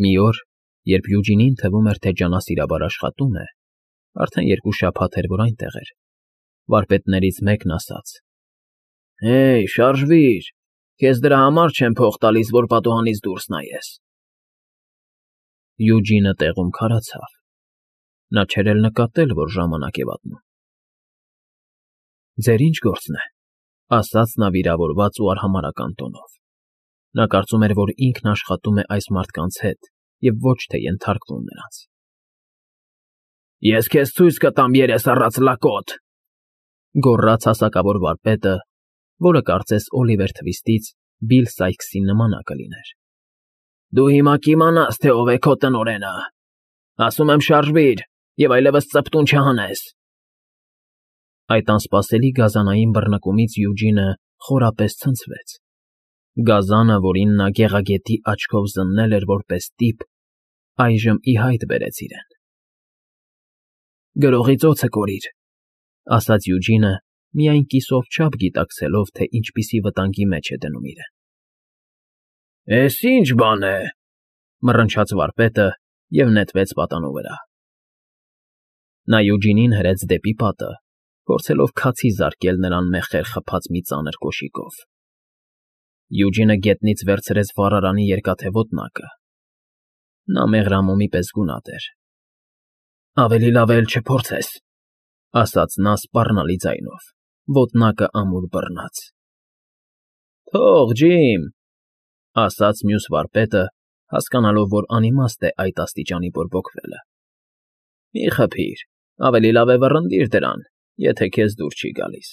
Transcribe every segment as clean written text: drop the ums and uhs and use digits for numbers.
Մի օր, երբ Յուջինին թվում էր, թե ջանասիրաբար աշխատում է, արդեն 2 շաբաթ էր, որ այնտեղ էր, վարպետներից մեկն ասաց. «Հեյ, շարժվիր, քեզ դրա համար չեմ փող տալիս, որ պատուհանից դուրս նայես»։ Յուջինը տեղում քարացավ. նա չէր էլ նկատել, որ ժամանակ է վատնում։ «Ձեր ի՞նչ գործն է», ասաց նա վիրավորված ու արհամարհական տոնով։ Նա կարծում էր, որ ինքն աշխատում է այս մարդկանց հետ և ոչ թե ենթարկվում նրանց։ «Ես քեզ ցույց կտամ, երես առած լակոտ», գոռաց հասակավոր վարպետը, որը կարծես Օլիվեր Թվիստից Բիլ Սայքսի նմանակը լիներ։ «Դու հիմա կիմանաս, թե ով է քո տնօրենը։ Ասում եմ շարժվիր և այլևս ծպտուն չհանես»։ Այդ անսպասելի գազանային բռնկումից Յուջինը խորապես ցնցվեց։ Գազանը, որին նա գեղագետի աչքով զննել էր որպես տիպ, այժմ ի հայտ բերեց իրեն։ «Գրողի ծոցը կորիր», ասաց Յուջինը, միայն կիսով չափ գիտակցելով, թե ինչպիսի վտանգի մեջ է դնում իրեն։ «Էս ի՞նչ բան է», մռնչաց վարպետը և նետվեց պատանու վրա։ Նա Յուջինին հրեց դեպի պատը, փորձելով քացի զարկել նրան մեղքեր խփած մի ծանր կոշիկով։ Յուջինը գետնից վերցրեց վառարանի երկաթե ոտնակը։ Նա մեղրամոմի պես գունատ էր։ «Ավելի լավ է էլ չփորձես», ասաց նա սպառնալի ձայնով, ոտնակը ամուր բռնած։ «Թող, Ջիմ», ասաց մյուս վարպետը, հասկանալով, որ անիմաստ է այդ աստիճանի բորբոքվելը։ «Մի խփիր, ավելի լավ է վռնդիր դրան, եթե քեզ դուր չի գալիս»։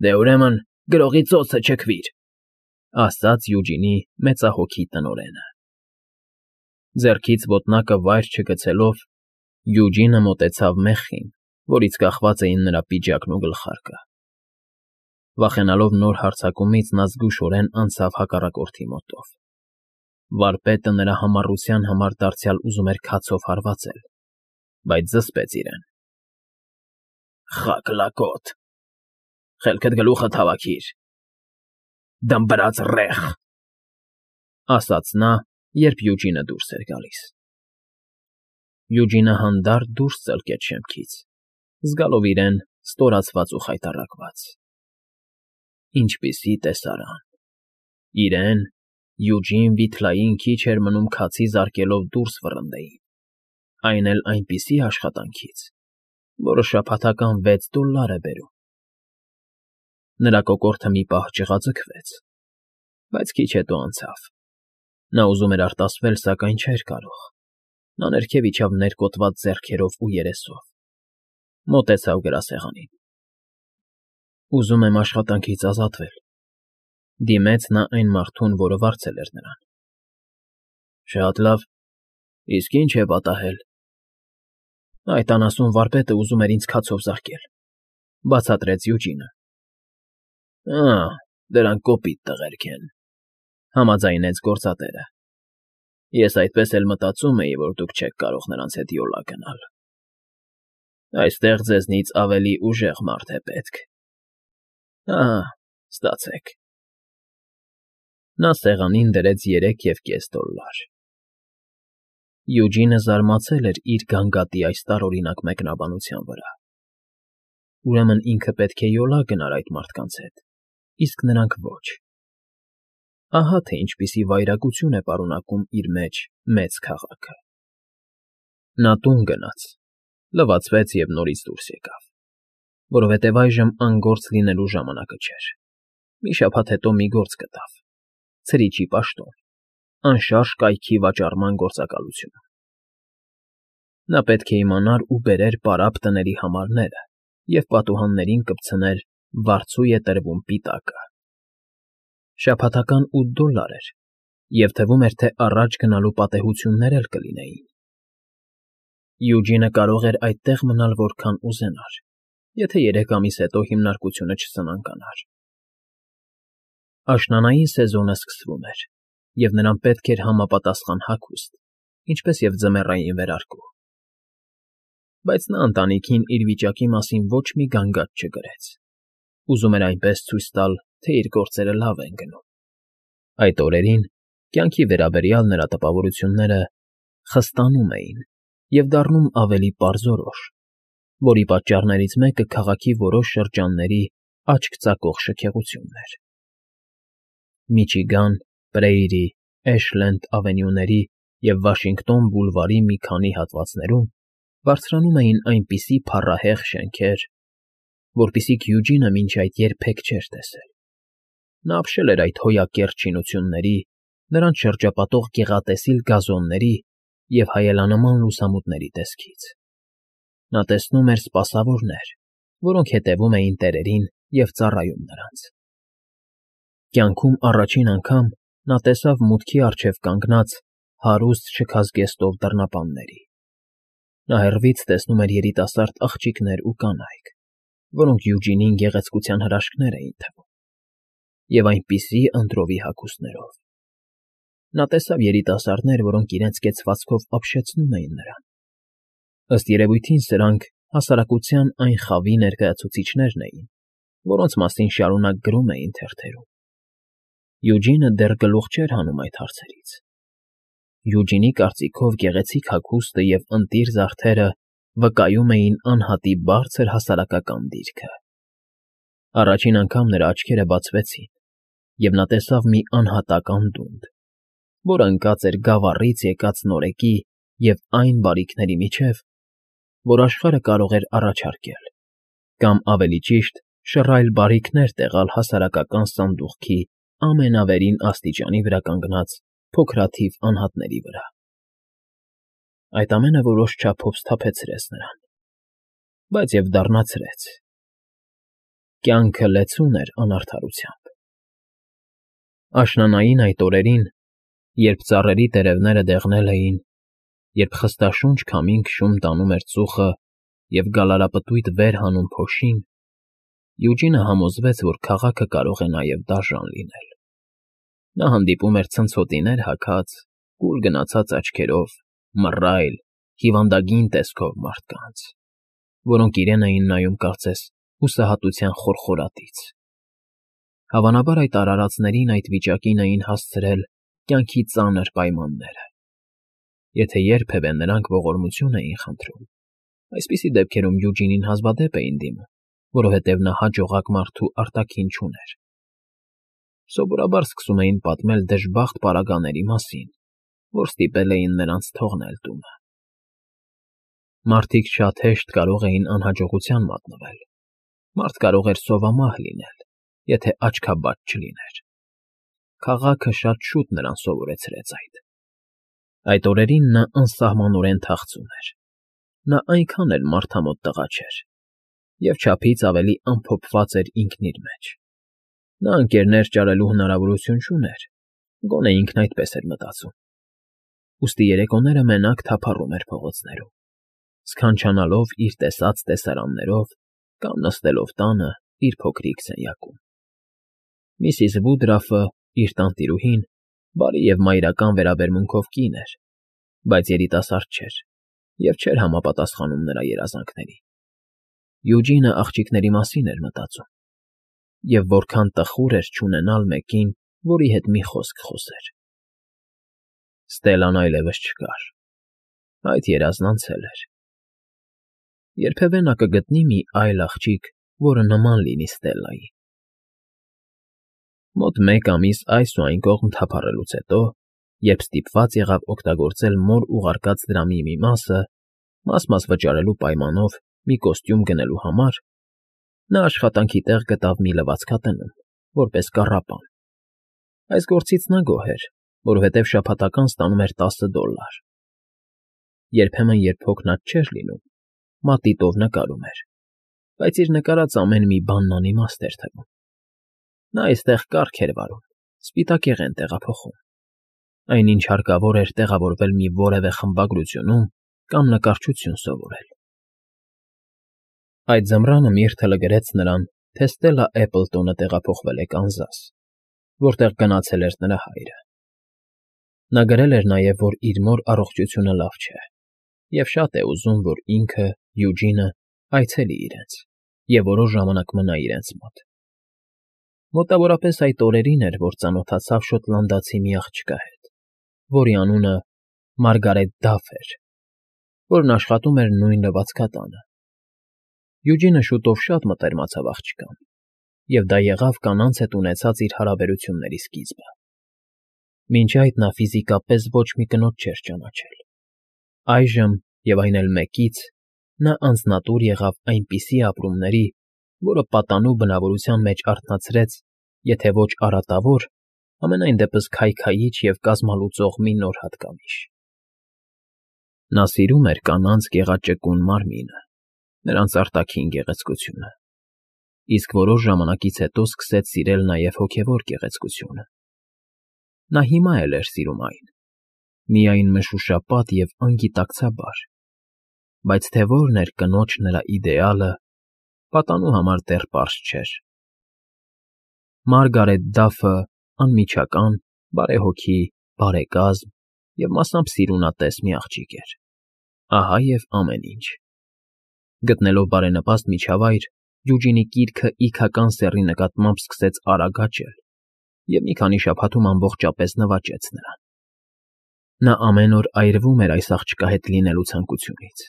«Դե ուրեմն գրողի ծոցը չքվիր», ասաց Յուջինի մեծահոգի տնօրենը։ Ձեռքից ոտնակը վայր չգցելով, Յուջինը մոտեցավ մեխին, որից կախված էին նրա պիջակն ու գլխարկը։ Վախենալով նոր հարձակումից նա զգուշորեն անցավ հակառակորդի մոտով։ Վարպետը նրա համառության համար դարձյալ ուզում էր քացով հարվածել, բայց զսպեց իրեն։ «Խաք լակոտ, խելքդ գլուխդ հավաքիր, դմբրած ռեխ», ասաց նա, երբ Յուջինը դուրս էր գալիս։ Յուջինը հանդարտ դուրս ծլկեց շեմքից, զգալով իրեն ստորացված ու խայտառակված։ Ինչպիսի տեսարան… իրեն, Յուջին Վիթլային քիչ էր մնում քացի զարկելով դուրս վռնդեին, այն էլ այնպիսի աշխատանքից, որը շաբաթական $6 է բերում։ Նրա կոկորդը մի պահ ճղաձգվեց, բայց քիչ հետո անցավ։ Նա ուզում էր արտասվել, սակայն չէր կարող։ Նա ներքև իջավ ներկոտված ձեռքերով ու երեսով, մոտեցավ գրասեղանին։ «Ուզում եմ աշխատանքից ազատվել», դիմեց նա այն մարդուն, որը վարձել էր նրան։ «Շատ լավ, իսկ ի՞նչ է պատահել»։ «Այդ անասուն վարպետը ուզում էր ինձ քացով զարկել», բացատրեց Յուջինը։ Դրանք կոպիտ տղերք են», համաձայնեց գործատերը։ «Ես այդպես էլ մտածում էի, որ դուք չեք կարող նրանց հետ յոլա գնալ։ Այստեղ ձեզնից ավելի ուժեղ մարդ է պետք։ Ստացեք»։ Նա սեղանին դրեց $3.5։ Յուջինը զարմացել էր իր գանգատի այս տարօրինակ մեկնաբանության վրա։ Ուրեմն ինքը պետք է յոլա գնար այդ մարդկանց հետ, իսկ նրանք ոչ։ Ահա թե ինչպիսի վայրագություն է պարունակում իր մեջ մեծ քաղաքը։ Նա տուն գնաց, լվացվեց և նորից դուրս եկավ, որովհետև այժմ անգործ լինելու ժամանակը չէր։ Մի շաբաթ հետո մի գործ գտավ՝ ցրիչի պաշտոն, անշարժ կայքի վաճառման գործակալություն։ Նա պետք է իմանար ու բերեր պարապ տների համարները և պատուհաններին կպցներ «Վարձու է տրվում» պիտակը։ Շաբաթական $8 էր, և թվում էր, թե առաջ գնալու պատեհություններ էլ կլինեին։ Յուջինը կարող էր այդտեղ մնալ որքան ուզենար, եթե 3 ամիս հետո հիմնարկությունը չսնանկանար։ Աշնանային սեզոնը սկսվում էր, և նրան պետք էր համապատասխան հագուստ, ինչպես և ձմեռային վերարկու։ Բայց նա ընտանիքին իր վիճակի մասին ոչ մի գանգատ չգրեց։ Ուզում էր այնպես ցույց տալ, թե իր գործերը լավ են գնում։ Այդ օրերին Կյանքի վերաբերյալ նրա տպավորությունները խստանում էին և դառնում ավելի պարզորոշ, որի պատճառներից մեկը քաղաքի որոշ շրջանների աչք ծակող շքեղությունն էր։ Միչիգան, Պրեյրի, Էշլենդ ավենյուների և Վաշինգտոն բուլվարի մի քանի հատվածներում բարձրանում էին այնպիսի փառահեղ շենքեր, որպիսիք Յուջինը մինչ այդ երբեք չէր տեսել։ Նա ապշել էր այդ հոյակերտ շինությունների, նրանց շրջապատող գեղատեսիլ գազոնների և հայելանման լուսամուտների տեսքից։ Նա տեսնում էր սպասավորներ, որոնք հետևում էին տերերին և ծառայում նրանց։ Կյանքում առաջին անգամ նա տեսավ մուտքի առջև կանգնած հարուստ շքազգեստով դռնապանների։ Նա հեռվից տեսնում էր երիտասարդ աղջիկներ ու կանայք, որոնք Յուջինին գեղեցկության հրաշքներ էին թվում, և այնպիսի ընտրովի հագուստներով։ Նա տեսավ երիտասարդներ, որոնք իրենց կեցվածքով ապշեցնում էին նրան։ Ըստ երևույթին սրանք հասարակության այն խավի ներկայացուցիչներն էին, որոնց մասին շարունակ գրում էին թերթերում։ Յուջինը դեռ գլուխ չէր հանում այդ հարցերից։ Յուջինի կարծիքով գեղեցիկ հագուստը և ընտիր զարդերը վկայում էին անհատի բարձր հասարակական դիրքը։ Առաջին անգամ նրա աչքերը բացվեցին, և նա տեսավ մի անհատական դունդ, որ ընկած էր գավառից եկած նորեկի և այն բարիքների միջև, որ աշխարհը կարող էր առաջարկել, կամ ավելի ճիշտ շռայլ բարիքներ տեղալ հասարակական սանդուղքի ամենավերին աստիճանի վրա կանգնած փոքրաթիվ անհատների վրա։ Այդ ամենը որոշ չափով սթափեցրեց նրան, բայց և դառնացրեց։ Կյանքը լեցուն էր անարդարությամբ։ Աշնանային այդ օրերին, երբ ծառերի տերևները դեղնել էին, երբ խստաշունչ քամին քշում տանում էր ծուխը և գալարապտույտ վեր հանում փոշին, Յուջինը համոզվեց, որ քաղաքը կարող է նաև դաժան լինել։ Նա հանդիպում էր ցնցոտիներ հագած, կուլ գնացած աչքերով, մռայլ, հիվանդագին տեսքով մարդկանց, որոնք իրեն էին նայում կարծես հուսահատության խորխորատից։ Հավանաբար այդ արարածներին այդ վիճակին էին հասցրել կյանքի ծանր պայմանները։ Եթե երբևէ նրանք ողորմություն էին խնդրում, այսպիսի դեպքերում Յուջինին հազվադեպ էին դիմում, որովհետև նա հաջողակ մարդու արտաքին չուներ։ Սովորաբար սկսում էին պատմել դժբախտ պարագաների մասին, որ ստիպել էին նրանց թողնել տունը։ Մարդիկ շատ հեշտ կարող էին անհաջողության մատնվել։ Մարդ կարող էր սովամահ լինել, եթե աչքաբաց չլիներ։ Քաղաքը շատ շուտ նրան սովորեցրեց այդ։ Այդ օրերին նա անսահմանորեն թախծում էր։ Նա այնքան էլ մարդամոտ տղա չէր, և չափից ավելի ամփոփված էր ինքն իր մեջ։ Նա ընկերներ ճարելու հնարավորություն չուներ, գոնե ինքն այդպես էր մտածում։ Ուստի երեկոները մենակ թափառում էր փողոցներում, սքանչանալով իր տեսած տեսարաններով կամ նստելով տանը իր փոքրիկ սենյակում։ Միսիս Վուդրաֆը, իր տանտիրուհին, բարի և մայրական վերաբերմունքով կին էր, բայց երիտասարդ չէր և չէր համապատասխանում նրա երազանքներին։ Յուջինը աղջիկների մասին էր մտածում, և որքան տխուր էր չունենալ մեկին, որի հետ մի խոսք խոսեր։ Ստելլան այլևս չկար։ Այդ երազն անցել էր։ Երբևէ նա կգտնի մի այլ աղջիկ, որը նման լինի Ստելլային։ Մոտ մեկ ամիս այս ու այն կողմ թափառելուց հետո, երբ ստիպված եղավ օգտագործել մոր ուղարկած դրամի մի մասը, մաս վճարելու պայմանով մի կոստյում գնելու համար, նա աշխատանքի տեղ գտավ մի լվացքատնում, որպես կառապան։ Այս գործից նա գոհ էր, որովհետև շաբաթական ստանում էր $10։ Երբեմն, երբ հոգնած չէր լինում, մատիտով նկարում էր, բայց իր նկարած ամեն մի բանն անիմաստ էր թվում։ Նա այստեղ կառք էր վարում, սպիտակեղեն տեղափոխում։ Այնինչ հարկավոր էր տեղավորվել մի որևէ խմբագրությունում կամ նկարչություն սովորել։ Այդ ձմռանը Միրթը լգրեց նրան, թե Ստելլա Էպլտոնը տեղափոխվել է Կանզաս, որտեղ գնացել էր նրա հայրը։ Նա գրել էր նաև, որ իր մոր առողջությունը լավ չէ, և շատ է ուզում, որ ինքը, Յուջինը, այցելի իրենց և որոշ ժամանակ մնա իրենց մոտ։ Մոտավորապես այդ օրերին էր, որ ծանոթացավ շոտլանդացի մի աղջկա հետ, որի անունը Մարգարետ Դաֆ էր, որն աշխատում էր նույն լվացքատանը։ Յուջինը շուտով շատ մտերմացավ աղջկան, և դա եղավ կանանց հետ ունեցած իր հարաբերությունների սկիզբը։ Մինչ այդ նա ֆիզիկապես ոչ մի կնոջ չէր ճանաչել։ Այժմ, և այն էլ մեկից, նա անձնատուր եղավ այնպիսի ապրումների, որը պատանու բնավորության մեջ արթնացրեց, եթե ոչ արատավոր, համենայն դեպս քայքայիչ և կազմալուծող մի նոր հատկանիշ։ Նա սիրում էր կանանց գեղաճկուն մարմինը, նրանց արտաքին գեղեցկությունը, իսկ որոշ ժամանակից հետո սկսեց սիրել նաև հոգևոր գեղեցկությունը։ Նա հիմա էլ էր սիրում այն, միայն մշուշապատ և անգիտակցաբար, բայց թե որն էր կնոջ նրա իդեալը, պատանու համար դեռ պարզ չէր։ Մարգարետ Դաֆը անմիջական, բարեհոգի, բարեկազմ և մասամբ սիրունատես մի աղջիկ էր։ Ահա և ամեն ինչ։ Գտնելով բարենպաստ միջավայր, Յուջինի կիրքը իգական սեռի նկատմամբ սկսեց արագ աճել և մի քանի շաբաթում ամբողջապես նվաճեց նրան։ Նա ամեն օր այրվում էր այս աղջկա հետ լինելու ցանկությունից,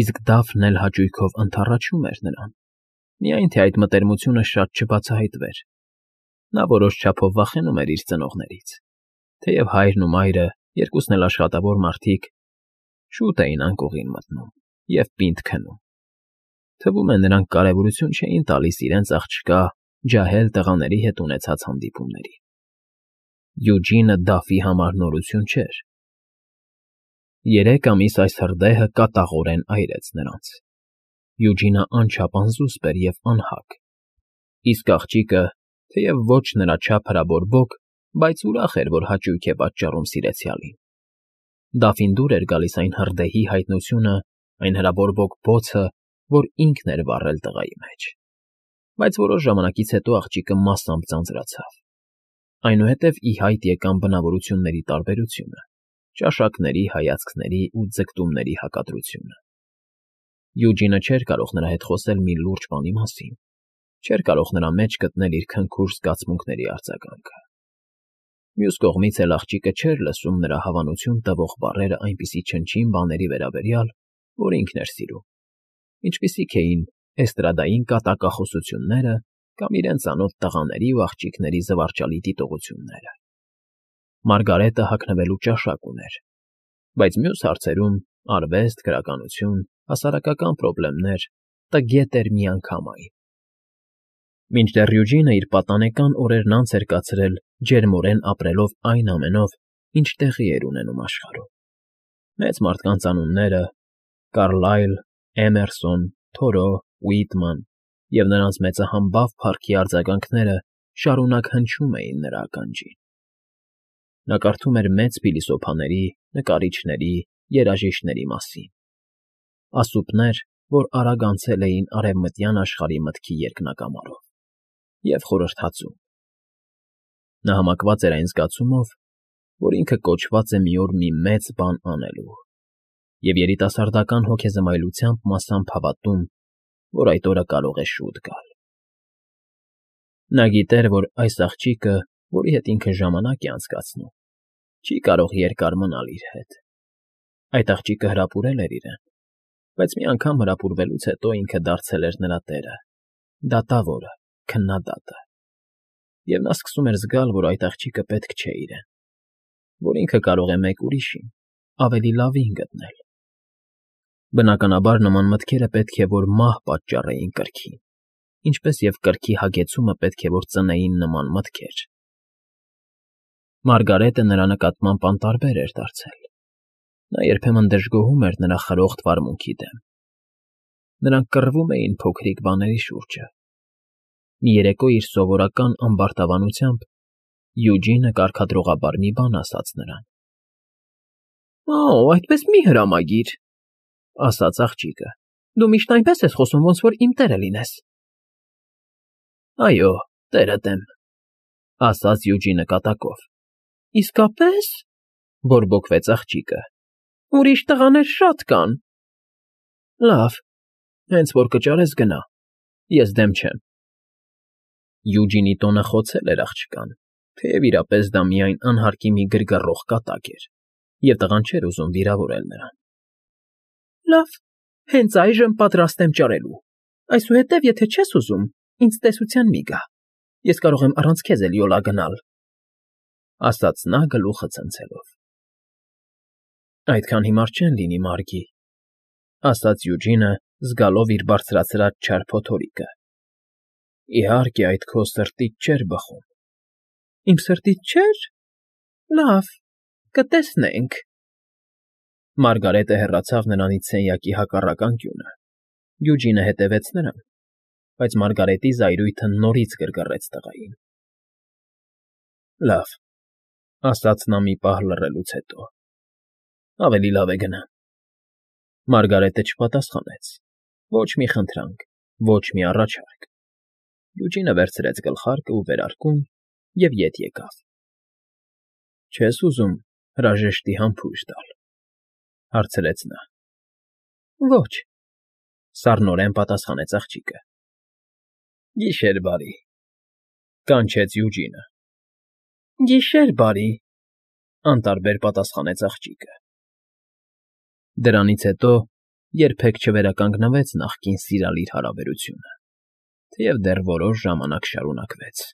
իսկ Դաֆն էլ հաճույքով ընդառաջում էր նրան, միայն թե այդ մտերմությունը շատ չբացահայտվեր։ Նա որոշ չափով վախենում էր իր ծնողներից, թեև հայրն ու մայրը, երկուսն էլ աշխատավոր մարդիկ, շուտ էին անկողին մտնում և պինդ քնում։ Թվում է, նրանք կարևորություն չէին տալիս իրենց աղջկա ջահել տղաների հետ ունեցած հանդիպումներին։ Յուջինը Դաֆի համար նորություն չէր։ 3 ամիս այս հրդեհը կատաղորեն այրեց նրանց։ Յուջինը անչափ անզուսպ էր և անհագ, իսկ աղջիկը, թեև ոչ նրա չափ հրաբորբոք, բայց ուրախ էր, որ հաճույք է պատճառում սիրեցյալին։ Դաֆին դուր էր գալիս այն հրդեհի հայտնությունը, այն հրաբորբոք բոցը, որ ինքն էր վառել տղայի մեջ։ Բայց որոշ ժամանակից հետո աղջիկը մասամբ ձանձրացավ։ Այնուհետև ի հայտ եկան բնավորությունների տարբերությունը, ճաշակների, հայացքների ու ձգտումների հակադրությունը։ Յուջինը չէր կարող նրա հետ խոսել մի լուրջ բանի մասին, չէր կարող նրա մեջ գտնել իր քնքուշ զգացմունքների արձագանքը։ Մյուս կողմից էլ աղջիկը չէր լսում նրա հավանություն տվող բառերը այնպիսի չնչին բաների վերաբերյալ, որ ինքն էր սիրում, ինչպիսիք էին էստրադային կատակախոսությունները կամ իրեն ծանոթ տղաների ու աղջիկների զվարճալի դիտողությունները։ Մարգարետը հագնվելու ճաշակ ուներ, բայց մյուս հարցերում՝ արվեստ, գրականություն, հասարակական պրոբլեմներ, տգետ էր միանգամայն։ Մինչդեռ Յուջինը իր պատանեկան օրերն անց էր կացրել ջերմորեն ապրելով այն ամենով, ինչ տեղի էր ունենում աշխարհում։ Մեծ մարդկանց անունները՝ Կարլայլ, Էմերսոն, Թորո, Ուիտման և նրանց մեծահամբավ փառքի արձագանքները շարունակ հնչում էին նրա ականջին։ Նա կարդում էր մեծ փիլիսոփաների, նկարիչների, երաժիշտների մասին, ասուպներ, որ արագ անցել էին արևմտյան աշխարհի մտքի երկնակամարով, և խորհրդածում։ Նա համակված էր այն զգացումով, որ ինքը կոչված է մի օր մի մեծ բան անելու, և երիտասարդական հոգեզմայլությամբ մասամբ հավատում, որ այդ օրը կարող է շուտ գալ։ Նա գիտեր, որ այս աղջիկը, որի հետ ինքը ժամանակ է անցկացնում, չի կարող երկար մնալ իր հետ։ Այդ աղջիկը հրապուրել էր իրեն, բայց մի անգամ հրապուրվելուց հետո ինքը դարձել էր նրա տերը, դատավորը, քննադատը։ Եվ նա սկսում էր զգալ, որ այդ աղջիկը պետք չէ իրեն, որ ինքը կարող է մեկ ուրիշին, ավելի լավին գտնել։ Բնականաբար նման մտքերը պետք է որ մահ պատճառեին կրքին, ինչպես և կրքի հագեցումը պետք է որ ծնեին նման մտքեր։ Մարգարետը նրա նկատմամբ անտարբեր էր դարձել։ Նա երբեմն դժգոհում էր նրա խրոխտ վարմունքի դեմ։ Նրանք կռվում էին փոքրիկ բաների շուրջը։ Մի երեկո իր սովորական ամբարտավանությամբ Յուջինը կարգադրողաբար մի բան ասաց նրան։ «Օ, այդպես մի հրամագիր», ֊ ասաց աղջիկը։ «Դու միշտ այնպես ես խոսում, ոնց որ իմ տերը լինես»։ «Այո, տերդ եմ», ֊ ասաց Յուջինը կատակով։ «Իսկապե՞ս», ֊ բորբոքվեց աղջիկը։ «Ուրիշ տղաներ շատ կան»։ «Լավ, հենց որ կճարես գնա, ես դեմ չեմ»։ Յուջինի տոնը խոցել էր աղջկան, Թեև իրապես դա միայն անհարկի մի գրգռող կատակ էր, և տղան չէր ուզում վիրավորել նրան։ ֊ Լավ, հենց այժմ պատրաստ եմ ճարելու, այսուհետև, եթե չես ուզում, ինձ տեսության մի գա, ես կարող եմ առանց քեզ էլ յոլա գնալ, ֊ ասաց նա գլուխը ցնցելով։ ֊ Այդքան հիմար չեն լինի, Մարգի, ֊ ասաց Յուջինը, զգալով իր բարձրացրած չար փոթորիկը։ ֊ Իհարկե, այդ քո սրտիդ չէր բխում։ ֊ Իմ սրտից չէ՞ր։ Լավ, կտեսնենք։ Մարգարետը հեռացավ նրանից սենյակի հակառակ անկյունը։ Յուջինը հետևեց նրան, բայց Մարգարետի զայրույթը նորից գրգռեց տղային։ ֊ Լավ, ֊ ասաց նա մի պահ լռելուց հետո, ֊ ավելի լավ է գնամ։ Մարգարետը չպատասխանեց ոչ մի խնդրանք, ոչ մի առաջարկ։ Յուջինը վերցրեց գլխարկը ու վերարկուն և ետ եկավ։ ֊ Չես ուզում հրաժեշտի համբույր տալ, ֊ հարցրեց նա։ ֊ Ոչ, ֊ սառնորեն պատասխանեց աղջիկը։ ֊ Գիշեր բարի, ֊ կանչեց Յուջինը։ ֊ Գիշեր բարի, ֊ անտարբեր պատասխանեց աղջիկը։ Դրանից հետո երբեք չվերականգնվեց նախկին սիրալիր հարաբերությունը, թեև դեռ որոշ ժամանակ շարունակվեց։